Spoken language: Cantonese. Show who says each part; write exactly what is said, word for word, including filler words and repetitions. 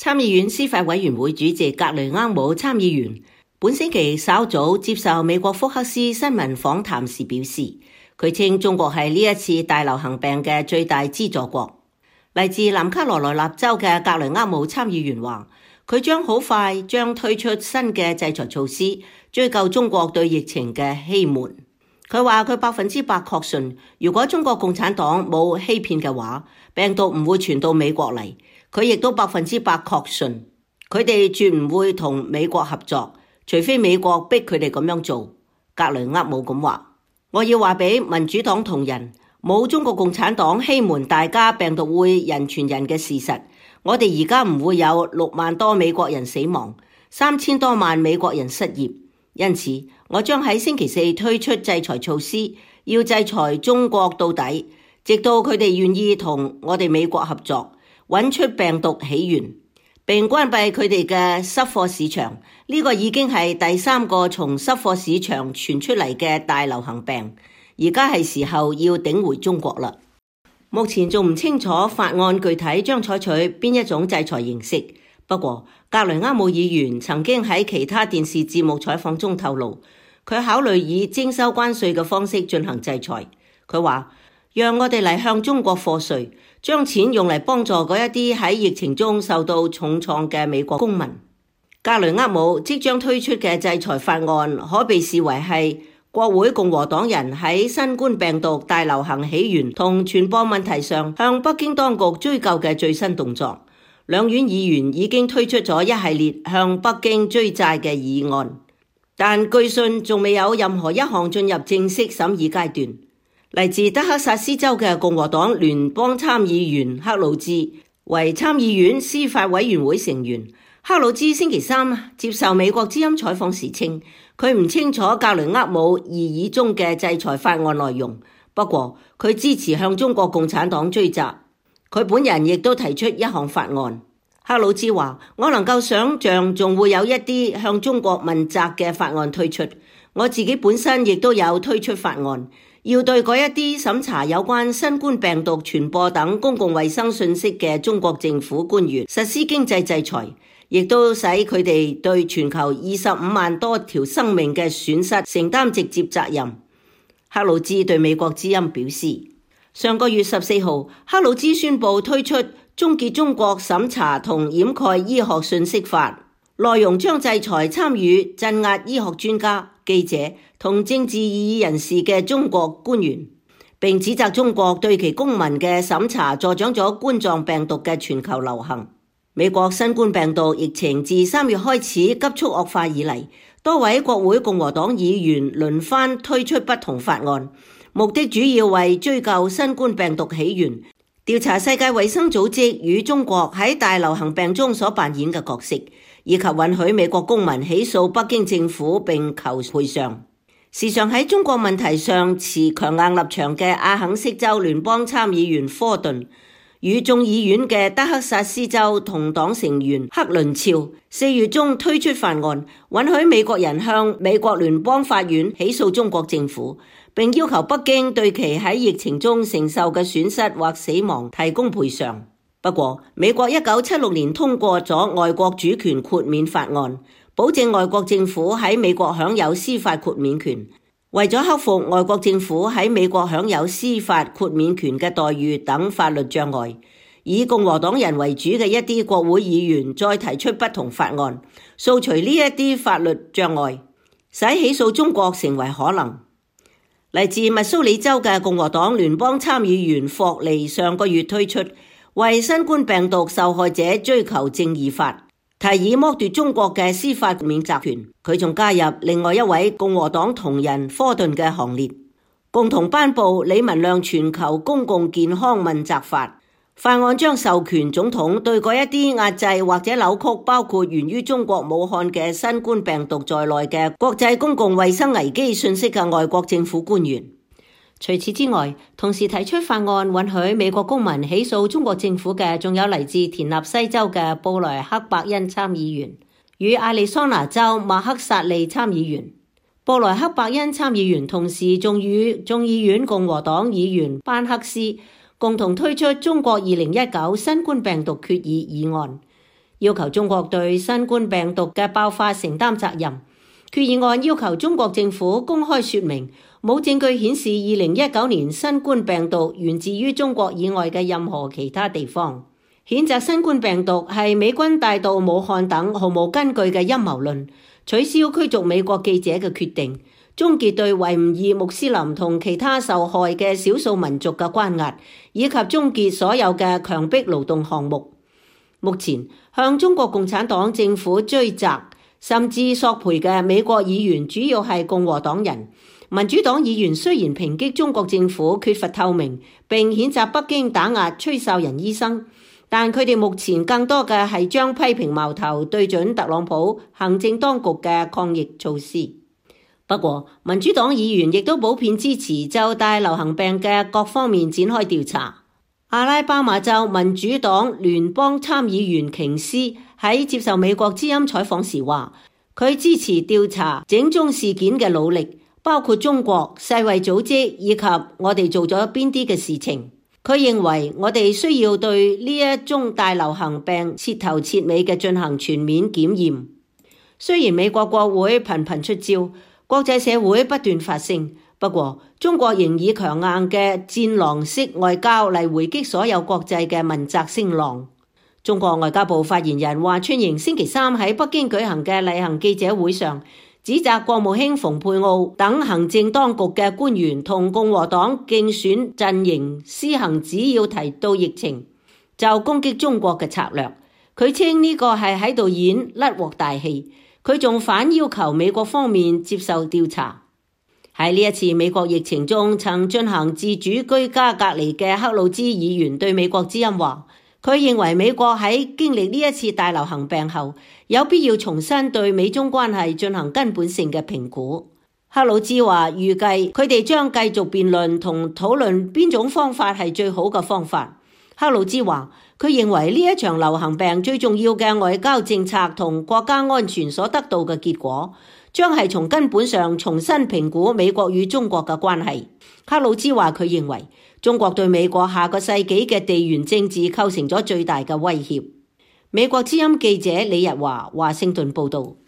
Speaker 1: 參議院司法委員會主席格雷厄姆參議員本星期稍早接受美國福克斯新聞訪談時表示，佢稱中國係呢一次大流行病嘅最大資助國。嚟自南卡羅來納州嘅格雷厄姆參議員話，佢將好快將推出新嘅制裁措施，追究中國對疫情嘅欺瞞。佢話佢百分之百確信，如果中國共產黨冇欺騙嘅話，病毒唔會傳到美國嚟。佢亦都百分之百確信，佢哋絕唔會同美國合作，除非美國逼佢哋咁樣做。格雷厄姆咁話：我要話俾民主黨同仁，冇中國共產黨欺瞞大家病毒會人傳人嘅事實。我哋而家唔會有六萬多美國人死亡，三千多萬美國人失業。因此，我將喺星期四推出制裁措施，要制裁中國到底，直到佢哋願意同我哋美國合作，揾出病毒起源，並關閉佢哋嘅濕貨市場。呢個已經係第三個從濕貨市場傳出嚟嘅大流行病，而家係時候要頂回中國啦。目前仲唔清楚法案具體將採取邊一種制裁形式。不過，格雷厄姆議員曾經喺其他電視節目採訪中透露，佢考慮以徵收關稅嘅方式進行制裁。佢話：讓我哋嚟向中國課稅，將錢用嚟幫助嗰一啲喺疫情中受到重創嘅美國公民。格雷厄姆即將推出嘅制裁法案可被視為係國會共和黨人喺新冠病毒大流行起源同傳播問題上向北京當局追究嘅最新動作。兩院議員已經推出咗一系列向北京追債嘅議案，但據信仲未有任何一項進入正式審議階段。嚟自德克薩斯州嘅共和黨聯邦參議員克魯茲為參議院司法委員會成員。克魯茲星期三接受美國之音採訪時稱，佢唔清楚格雷厄姆議議中嘅制裁法案內容，不過佢支持向中國共產黨追責。佢本人亦都提出一項法案。克魯茲話：我能夠想象仲會有一啲向中國問責嘅法案推出。我自己本身亦都有推出法案，要對嗰一啲審查有關新冠病毒傳播等公共衛生信息嘅中國政府官員實施經濟制裁，亦都使佢哋對全球二十五萬多條生命嘅損失承擔直接責任。克魯茲對美國之音表示，上個月十四號，克魯茲宣布推出終結中國審查同掩蓋醫學信息法，內容將制裁參與鎮壓醫學專家、記者同政治異議人士嘅中國官員，並指責中國對其公民嘅審查助長咗冠狀病毒嘅全球流行。美國新冠病毒疫情自三月開始急速惡化以嚟，多位國會共和黨議員輪番推出不同法案，目的主要為追究新冠病毒起源，調查世界衛生組織與中國喺大流行病中所扮演嘅角色，以及允許美國公民起訴北京政府並求賠償。時常喺中國問題上持強硬立場嘅阿肯色州聯邦參議員科頓與眾議院嘅德克薩斯州同黨成員克倫肖四月中推出法案，允許美國人向美國聯邦法院起訴中國政府，並要求北京對其喺疫情中承受嘅損失或死亡提供賠償。不過，美國一九七六年通過咗外國主權豁免法案，保證外國政府喺美國享有司法豁免權。為咗克服外國政府喺美國享有司法豁免權嘅待遇等法律障礙，以共和黨人為主嘅一啲國會議員再提出不同法案，掃除呢一啲法律障礙，使起訴中國成為可能。嚟自密蘇里州嘅共和黨聯邦參議員霍利上個月推出為新冠病毒受害者追求正義法，提議剝奪中國嘅司法免責權。佢仲加入另外一位共和黨同仁科頓嘅行列，共同頒布李文亮全球公共健康問責法。法案將授權總統對嗰一啲壓制或者扭曲包括源於中國武漢嘅新冠病毒在內嘅國際公共衛生危機信息嘅外國政府官員。除此之外，同時提出法案允許美國公民起訴中國政府嘅，仲有嚟自田納西州嘅布萊克伯恩參議員與亞利桑那州馬克薩利參議員。布萊克伯恩參議員同時仲與眾議院共和黨議員班克斯共同推出中國二零一九新冠病毒決議議案，要求中國對新冠病毒嘅爆發承擔責任。決議案要求中國政府公開說明，冇證據顯示二零一九年新冠病毒源自於中國以外嘅任何其他地方。譴責新冠病毒係美軍帶到武漢等毫無根據嘅陰謀論，取消驅逐美國記者嘅決定，終結對維吾爾穆斯林同其他受害嘅少數民族嘅關押，以及終結所有嘅強迫勞動項目。目前向中國共產黨政府追責甚至索賠嘅美國議員主要係共和黨人。民主黨議員雖然抨擊中國政府缺乏透明，並譴責北京打壓崔秀仁醫生，但佢哋目前更多嘅係將批評矛頭對準特朗普行政當局嘅抗疫措施。不過，民主黨議員亦都普遍支持就大流行病嘅各方面展開調查。阿拉巴馬州民主黨聯邦參議員瓊斯喺接受美國之音採訪時話，佢支持調查整宗事件嘅努力，包括中國、世衛組織以及我哋做咗邊啲嘅事情。佢認為我哋需要對呢一宗大流行病徹頭徹尾嘅進行全面檢驗。雖然美國國會頻頻出招，國際社會不斷發聲，不過中國仍以強硬嘅戰狼式外交嚟回擊所有國際嘅問責聲浪。中國外交部發言人華春瑩星期三喺北京舉行嘅例行記者會上，指責國務卿蓬佩奧等行政當局嘅官員同共和黨競選陣營施行只要提到疫情就攻擊中國嘅策略。佢稱呢個係喺度演甩鑊大戲。佢仲反要求美國方面接受調查。喺呢一次美國疫情中曾進行自主居家隔離嘅克魯茲議員對美國之音話，佢認為美國喺經歷呢一次大流行病後，有必要重新對美中關係進行根本性嘅評估。克魯茲話預計佢哋將繼續辯論同討論邊種方法係最好嘅方法。克魯茲話佢認為呢一場流行病最重要嘅外交政策同國家安全所得到嘅結果，將係從根本上重新評估美國與中國嘅關係。克魯茲話佢認為中國對美國下個世紀嘅地緣政治構成咗最大嘅威脅。美國之音記者李日華華盛頓報道。